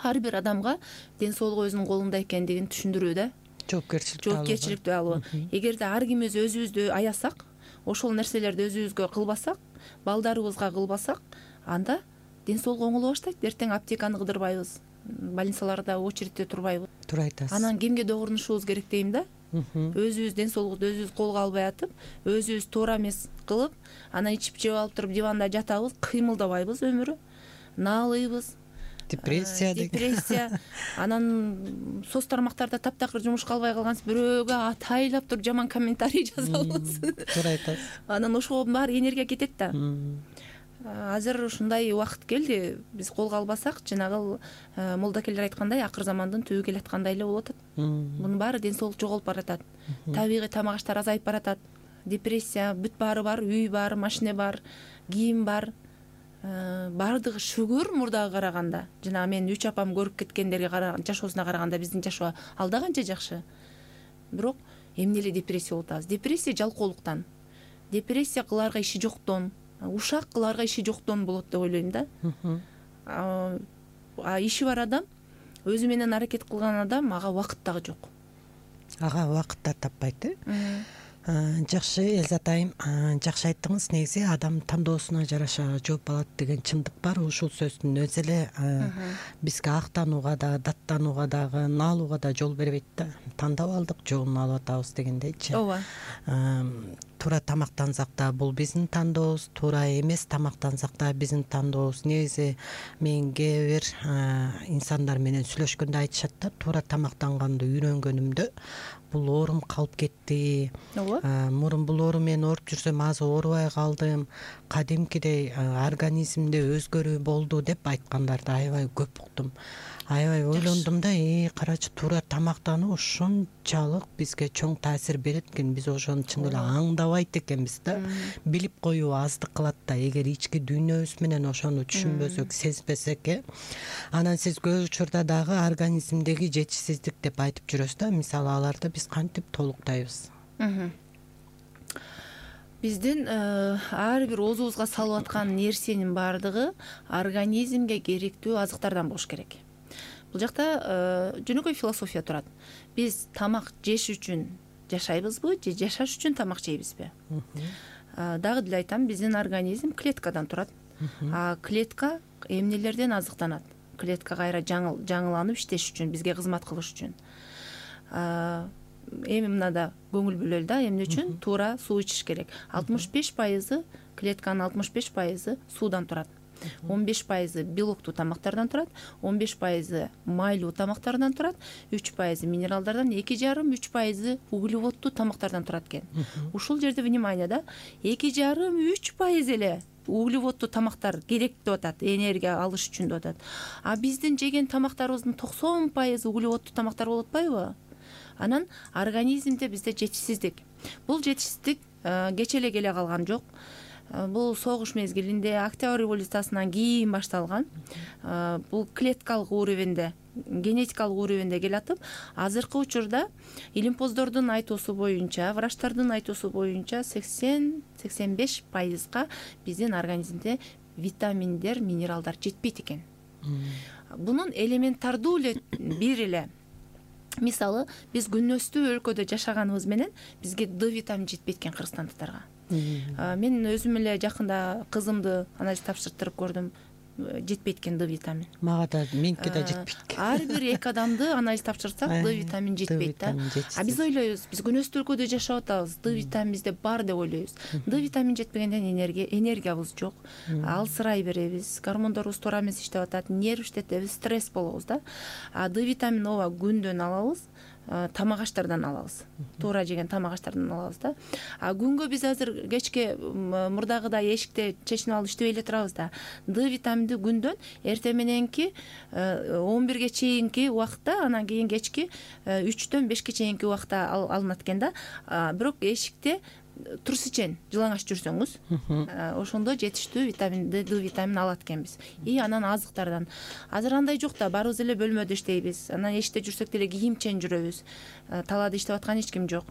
ар бир адамга ден соолугу өзүнүн колунда экендигин түшүндүрүү да. Жоопкерчиликтүү алуу. Эгерде ар кимибиз өзүбүздү аязсак, ошол нерселерди өзүбүзгө кылбасак, балдарыбызга кылбасак, анда ден соолук оңоло баштайт. Эртең аптеканы кыдырбайбыз, больницаларда очередте турбайбыз. Туура айтасыз. Анан кемге догурнушубуз керек дейм да. Өзүбүз ден соолукту өзүбүз колго албай атып, өзүбүз туура эмес кылып, анан ичип жеп алып туруп диванда жатабыз, кыймылдабайбыз өмүрү, наалыйбыз. Депрессия. Анан соц тармактарда таптакыр жумушка албай калгансыз, бирөөгө атайлап туруп жаман комментарий жазабыз. Туура айтасыз. Анан ошого баары энергия кетет да. Азыр ушундай убакыт келди, биз колго албасак, жанагы молдокелер айткандай, акыр замандын түбү келаткандай эле болуп атат. Мунун баары ден соолук жоголуп баратат. Табигый тамак аштар азайып баратат. Депрессия, бүт баары бар, үй бар, машина бар, кийим бар. Баардыгы шүгүр мурдага караганда. Жана мен 3 апам көрүп кеткендерге жашоосуна караганда биздин жашоо алда канча жакшы. Бирок эмне эле депрессия болуп атабыз? Депрессия жалкоолуктан. Депрессия кыларга иши жоктон, ушак кыларга иши жоктон болот деп ойлойм да. Иши бар адам, өзү менен аракет кылган адам, ага убакыт дагы жок. Ага убакыт да таппайт, Жакшы, Элзат айым, жакшы айттыңыз. Негизи адам тандоосуна жараша жооп алат деген чындык бар. Ушул сөздүн өзү эле бизге актанууга да, даттанууга дагы, наалууга да жол бербейт да. Тандап алдык, жолун алып атабыз дегендейчи. Ооба. Туура тамактансак да бул биздин тандообуз, туура эмес тамактансак да биздин тандообуз. Негизи мен кээ бир инсандар менен сүйлөшкөндө айтышат да, туура тамактанганды үйрөнгөнүмдө бул оорум калып кетти. Мурун бул оору менен ооруп жүрсөм азыр оорубай калдым. Кадимкидей организмде өзгөрүү болду деп айткандарды аябай көп уктум. Аябай ойлондум да, карачы, туура тамактануу ушунчалык бизге чоң таасир берет экен. Биз ошону чын эле аңдабайт экенбиз да. Билип коюу аздык кылат да, эгер ички дүйнөбүз менен ошону түшүнбөсөк, сезбесек. Анан сиз көп учурда дагы организмдеги жетишсиздик деп айтып жүрөсүз да. Мисалы аларды биз кантип толуктайбыз? Биздин ар бир оозубузга салып аткан нерсенин баардыгы организмге керектүү азыктардан болуш керек. Бул жакта жөнөкөй философия турат. Биз тамак жеш үчүн жашайбызбы же жашаш үчүн тамак жейбизби? Дагы деле айтам, биздин организм клеткадан турат. Клетка эмнелерден азыктанат? Клетка кайра жаңыланып иштеш үчүн, бизге кызмат кылыш үчүн. Эми мынада көңүл бөлөлү да, эмне үчүн? Туура суу ичиш керек. 65% клетканын 65% суудан турат. 15% белоктуу тамактардан турат, 15% майлуу тамактардан турат, 3% минералдардан, 2,5-3% углеводдуу тамактардан турат экен. Ушул жерде внимание да, 2,5-3% эле углеводдуу тамактар керек деп атат, энергия алыш үчүн деп атат. А биздин жеген тамактарыбыздын 90% углеводдуу тамактар болуп атпайбы? Анан организмде бизде жетишсиздик. Бул жетишсиздик кече эле келе калган жок. Бул согуш мезгилинде, Октябрь революциясынан кийин башталган. Бул клеткалык уровенде, генетикалык уровенде келатып, азыркы учурда илимпоздордун айтуусу боюнча, врачтардын айтуусу боюнча 80-85%га биздин организмде витаминдер, минералдар жетпейт экен. Бунун элементардуу эле бир эле мисалы, биз күнөстүү өлкөдө жашаганыбыз менен бизге D витамини жетпейт экен кыргызстандыктарга. Мен өзүм эле жакында кызымды анализ тапшыртып көрдүм, жетпейт экен D витамин. Мага да, меники да жетпейт экен. Ар бир 2 адамды анализ тапшырсак, D витамин жетпейт да. А биз ойлойбуз, биз күнөстүү өлкөдө жашап атабыз, D витамин бизде бар деп ойлойбуз. D витамин жетпегенден энергиябыз жок, алсырай беребиз, гормондорубуз туура эмес иштеп атат, нерв иштетебиз, стресс болобуз да. А D витамин ооба күндөн алабыз, тамак аштардан алабыз. Туура жеген тамак аштардан алабыз да. А күнгө биз азыр кечке мурдагыдай эшикте чечинип алып иштебей эле турабыз да. D витаминди күндөн эртең мененки 11ге чейинки убакытта, анан кийин кечки 3-төн 5ке чейинки убакытта алынат экен да. Бирок эшикте турс ичен жылаңач жүрсөңүз ошондо жетиштүү витамин D витамин алат экенбиз. И анан азыктардан азыр андай жок да, барыбыз эле бөлмөдө иштейбиз, анан эшикте жүрсөк деле кийимчен жүрөбүз, талаада иштеп аткан эч ким жок,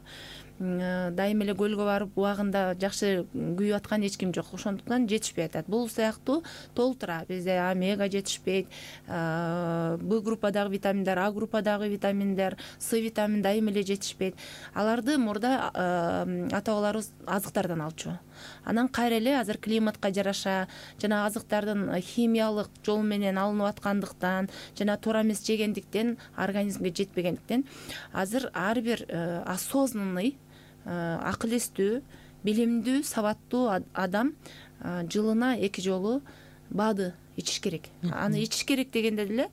дайыма эле көлгө барып убагында жакшы күйүп аткан эч ким жок, ошондуктан жетишпей атат. Бул сыяктуу толтура бизде омега жетишпейт, Б группадагы витаминдер, А группадагы витаминдер, С витамин дайыма эле жетишпейт. Аларды мурда ата бабаларыбыз азыктардан алчу. Анан кайра эле азыр климатка жараша жана азыктардын химиялык жол менен алынып аткандыктан жана туура эмес жегендиктен, организмге жетпегендиктен азыр ар бир осознанный, акыл эстүү, билимдүү, сабаттуу адам жылына 2 жолу БАДы ичиш керек. Аны ичиш керек дегенде деле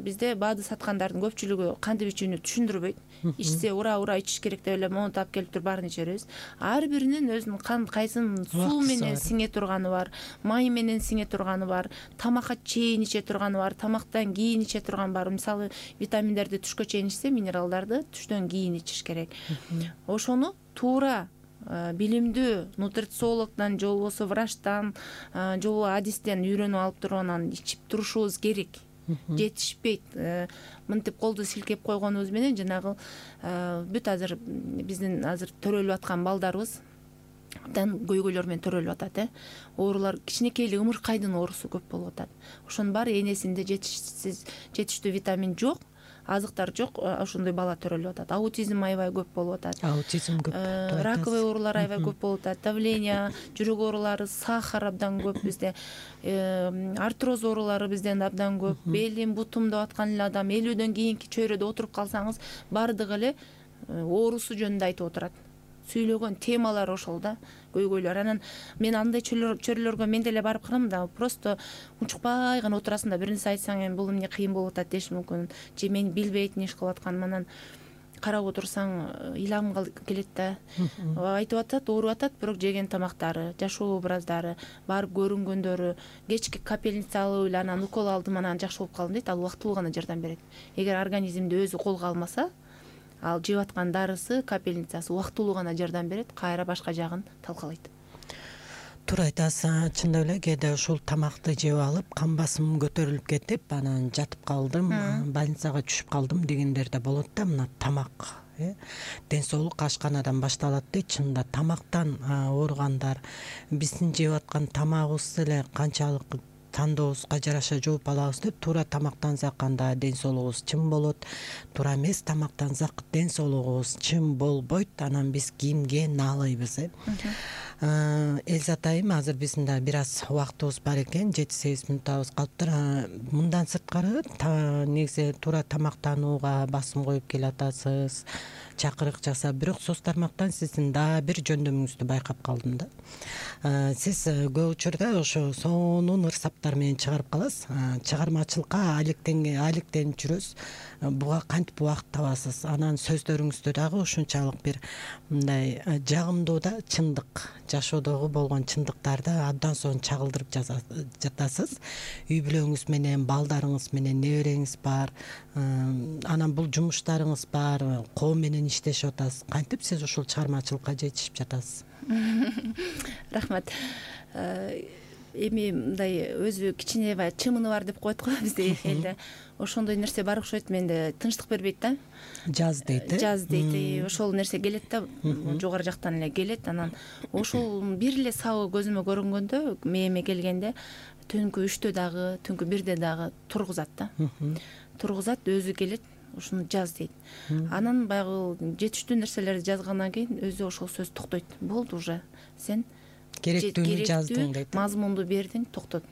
бизде БАДы саткандардын көпчүлүгү кантип ичүүнү түшүндүрбөйт. Ичсе ура ичиш керек деп эле монтуп алып келип туруп баарын иче беребиз. Ар биринин өзүнүн кайсын суу менен сиңе турганы бар, май менен сиңе турганы бар, тамакка чейин иче турганы бар, тамактан кийин иче турган бар. Мисалы витаминдерди түшкө чейин ичсе, минералдарды түштөн кийин ичиш керек. Ошону туура билимдүү нутрициологдон же болбосо врачтан же болбосо адистен үйрөнүп алып туруп анан ичип турушубуз керек. Жетишпейт. Мынтип колду силкеп койгонубуз менен жанагы бүт азыр биздин азыр төрөлүп аткан балдарыбыз абдан көйгөйлөр менен төрөлүп атат. Оорулар кичинекей эле ымыркайдын оорусу көп болуп атат. Ошонун баары энесинде жетиштүү витамин жок, азыктар жок, ошондой бала төрөлүп атат. Аутизм аябай көп болуп атат. Аутизм көп. Раковый оорулар аябай көп болуп атат. Давление, жүрөк оорулары, сахар абдан көп бизде. Артроз оорулары бизден абдан көп. Белим, бутум деп аткан эле адам 50дөн кийинки чөйрөдө отуруп калсаңыз, бардыгы эле оорусу жөнүндө айтып отурат. Сүйлөгөн темалар ошол да, көйгөйлөр. Анан мен андай чөйрөлөргө мен деле барып карам да, просто унчукпай гана отурасың да, бир нерсе айтсаң эми бул эмне кыйын болуп атат деш мүмкүн, же мен билбейт иш кылып атканым. Анан карап отурсаң илам келет да. Айтып атат, ооруп атат, бирок жеген тамактары, жашоо образдары, барып көрүнгөндөрү, кечки капельница алып эле анан укол алдым, анан жакшы болуп калдым дейт. Ал убактылуу гана жардам берет. Эгер организмди өзү колго алмаса, ал жеп аткан дарысы, капельницасы убактылуу гана жардам берет, кайра башка жагын талкалайт. Туура айтасыз, чындап эле кээде ушул тамакты жеп алып, кан басымым көтөрүлүп кетип, анан жатып калдым, больницага түшүп калдым дегендер да болот да. Мына тамак, ден соолук ашканадан башталат дейт. Чынында тамактан ооругандар биздин жеп аткан тамагыбыз эле канчалык тандообузга жараша жооп алабыз деп, туура тамактансак анда ден соолугубуз чым болот, туура эмес тамактансак ден соолугубуз чым болбойт. Анан биз кимге наалайбыз? Элзат айым, азыр биздин да бир аз убактыбыз бар экен, 7-8 мүнөтүбүз калыптыр. Мындан сырткары негизи туура тамактанууга басым коюп келатасыз, чакырык жасап, бирок соц тармактан сиздин дагы бир жөндөмүңүздү байкап калдым да. Сиз көп учурда ошо сонун ырсаптар менен чыгарып каласыз, чыгармачылыкка алектенип жүрөсүз. Буга кантип убакыт табасыз? Анан сөздөрүңүздө дагы ушунчалык бир мындай жагымдуу да, чындык, жашоодогу болгон чындыктарды абдан сонун чагылдырып жатасыз. Үй бүлөңүз менен, балдарыңыз менен, небереңиз бар, анан бул жумуштарыңыз бар, коом менен иштешип атасыз. Кантип сиз ушул чыгармачылыкка жетишип жатасыз? Рахмат. Эми мындай өзү кичине чымыны бар деп коет го бизде элде. Ошондой нерсе бар окшойт, менде тынчтык бербейт да. Жаз дейт. Жаз дейт. Ошол нерсе келет да, жогору жактан эле келет. Анан ошол бир эле сабы көзүмө көрүнгөндө, мээме келгенде түнкү 3-тө дагы, түнкү 1-де дагы тургузат да. Тургузат, өзү келет. Ушуну жаз дейт. Анан баягы жетиштүү нерселерди жазгандан кийин өзү ошол сөз токтойт. Болду уже. Сен керектүүнү жаздың дейт. Мазмунду бердиң, токтот.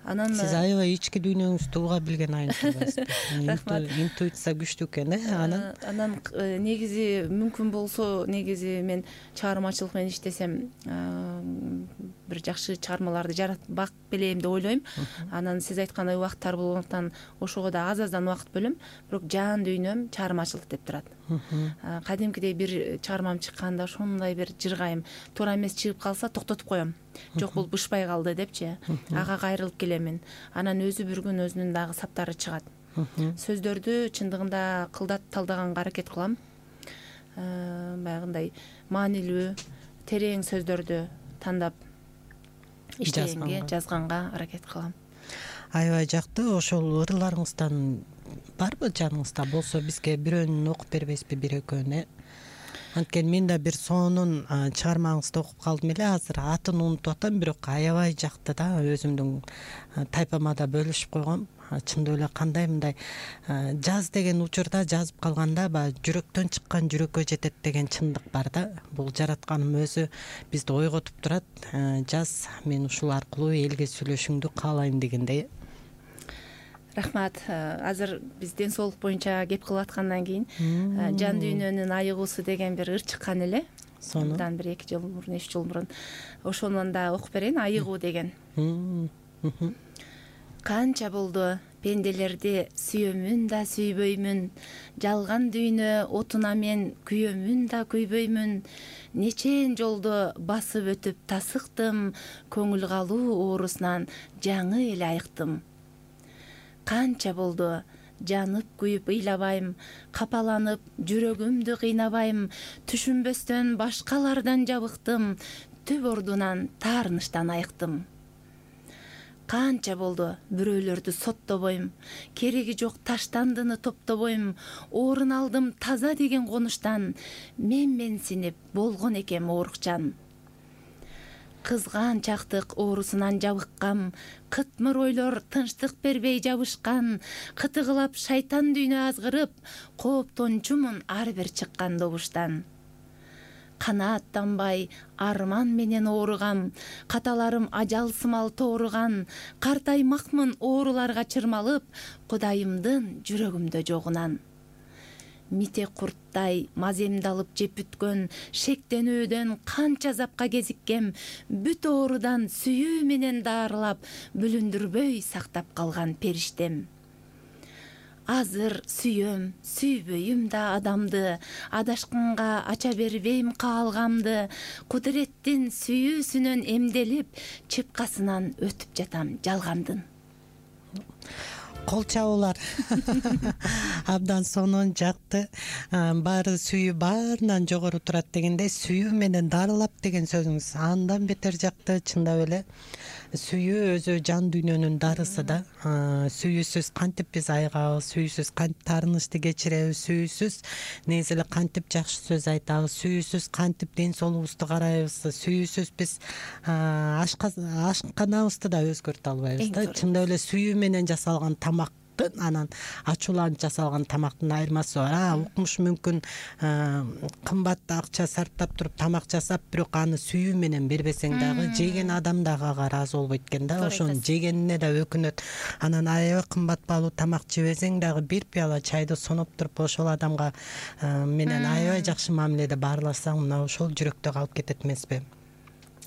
Анан сиз аябай ички дүйнөңүздү уга билген айымсыз. Рахмат. Интуиция күчтүү экен, Анан негизи мүмкүн болсо, негизи мен чыгармачылык менен иштесем, бир жакшы чыгармаларды жаратпак белем деп ойлойм. Анан сиз айткандай убакыттар болгондуктан ошого да аз-аздан убакыт бөлөм, бирок жан дүйнөм чыгармачылык деп турат. Кадимкидей бир чыгармам чыкканда ошондой бир жыргайм, туура эмес чыгып калса токтотуп коем. Жок, бул бышпай калды депчи, ага кайрылып келемин. Анан өзү бир күн өзүнүн дагы саптары чыгат. Сөздөрдү чындыгында кылдат талдаганга аракет кылам. баягындай маанилүү терең сөздөрдү тандап иштегенге, жазганга аракет кылам. Аябай жактуу. Ошол ырларыңыздан барбы жаныңызда? Болсо бизге бирөөнүн окуп бербейсизби, бир экөөнү? Анткени мен да бир сонун чыгармаңызды окуп калдым эле. Азыр атын унутуп атам, бирок аябай жакты да. Өзүмдүн тайпама да бөлүшүп койгом. Чындап эле кандай мындай жаз деген учурда жазып калганда баягы жүрөктөн чыккан жүрөккө жетет деген чындык бар да. Бул жаратканым өзү бизди ойготуп турат. Жаз, мен ушул аркылуу элге сүйлөшүүңдү каалайм дегендей. Рахмат. Азыр биз ден соолук боюнча кеп кылып аткандан кийин жан дүйнөнүн айыгуусу деген бир ыр чыккан эле. Мындан бир 2 жыл мурун, 3 жыл мурун. Ошонун да окуп берейин. Айыгуу деген. Канча болду пенделерди сүйөмүн да сүйбөймүн, жалган дүйнө отуна мен күйөмүн да күйбөймүн, нечен жолду басып өтүп тасыктым, көңүл калуу оорусунан жаңы эле айыктым. Канча болду жанып күйүп ыйлабайм, капаланып жүрөгүмдү кыйнабайм, түшүнбөстөн башкалардан жабыктым, түп ордунан таарыныштан айыктым. Канча болду бирөөлөрдү соттобойм, кереги жок таштандыны топтобойм, орун алдым таза деген конуштан, менсинип болгон экем оорукчан. Кызганчактык оорусунан жабыккам, кытмыр ойлор тынчтык бербей жабышкан, кытыгылап шайтан дүйнө азгырып, кооптончумун ар бир чыккан добуштан. Канааттанбай арман менен ооругам, каталарым ажалсымал тооруган, картаймакмын ооруларга чырмалып, Кудайымдын жүрөгүмдө жогунан. Мите курттай маземди алып жеп бүткөн, шектенүүдөн канча запка кезиккем, бүт оорудан сүйүү менен даарылап, бүлүндүрбөй сактап калган периштем. Азыр сүйөм, сүйбөйүм да адамды, адашканга ача бербейм каалгамды, кудуреттин сүйүүсүнөн эмделип, чыпкасынан өтүп жатам жалгандын. Кол чабуулар абдан сонун, жакты. Баары сүйүү баарынан жогору турат дегендей, сүйүү менен дарылап деген сөзүңүз андан бетер жакты. Чындап эле сүйүү өзү жан дүйнөнүн дарысы да. Сүйүүсүз кантип биз айыгабыз, сүйүүсүз кантип таарынычты кечиребиз, сүйүүсүз негизи эле кантип жакшы сөз айтабыз, сүйүүсүз кантип ден соолугубузду карайбыз, сүйүүсүз биз ашканабызды да өзгөртө албайбыз да. Чындап эле сүйүү менен жасалган тамактын анан ачууланып жасалган тамактын айырмасы бар. Укмуш мүмкүн кымбат акча сарптап туруп тамак жасап, бирок аны сүйүү менен бербесең дагы жеген адам дагы ага ыраазы болбойт экен да. Ошонун жегенине да өкүнөт. Анан аябай кымбат баалуу тамак жебесең дагы бир пыяла чайды соноп туруп ошол адамга менен аябай жакшы мамиледе баарласаң, мына ошол жүрөктө калып кетет эмеспи?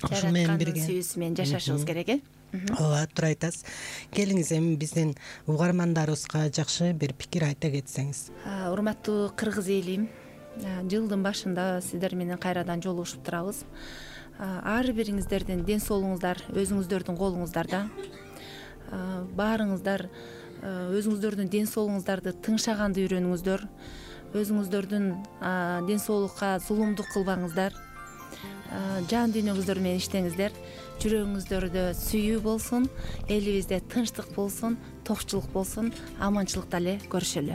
Ошол менен бирге сүйүүсү менен жашашыбыз керек, Ооба, туура айтасыз. Келиңиз, эми биздин угармандарыбызга жакшы бир пикир айта кетсеңиз. Урматтуу кыргыз элим, жылдын башында сиздер менен кайрадан жолугушуп турабыз. Ар бириңиздердин ден соолугуңуздар өзүңүздөрдүн колуңуздарда. Баарыңыздар өзүңүздөрдүн ден соолугуңуздарды тыңшаганды үйрөнүңүздөр. Өзүңүздөрдүн ден соолукка зулумдук кылбаңыздар. Жан дүйнөңүздөр менен иштеңиздер. Жүрөгүңүздөрдө сүйүү болсун, элибизде тынчтык болсун, токчулук болсун, аманчылыкта эле көрүшөлү.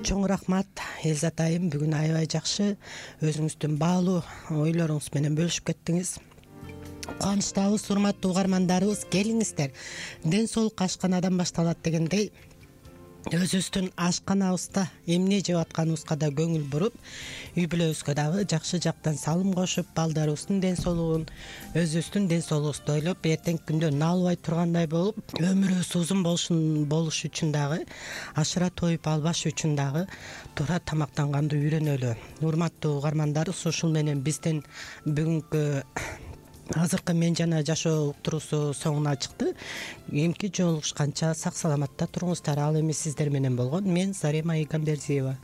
Чоң рахмат Элзат айым, бүгүн аябай жакшы өзүңүздүн баалуу ойлоруңуз менен бөлүшүп кеттиңиз. Кубанычтабыз, урматтуу угармандарыбыз, келиңиздер. Ден соолукка ашканадан башталат дегендей, өзүбүздүн ашканабызда эмне жеп атканыбызга да көңүл буруп, үй бүлөбүзгө дагы жакшы жактан салым кошуп, балдарыбыздын ден соолугун, өзүбүздүн ден соолугубузду ойлоп, эртеңки күндө наалбай тургандай болуп, өмүрүбүз узун болуш үчүн дагы, ашыра тоюп албаш үчүн дагы туура тамактанганды үйрөнөлү. Урматтуу угармандарыбыз, ушул менен биздин бүгүнкү азыркы Мен жана жашоо уктуруусу соңуна чыкты. Эмки жолугушканча сак саламатта туруңуздар. Ал эми сиздер менен болгон мен Зарема Игамбердиева.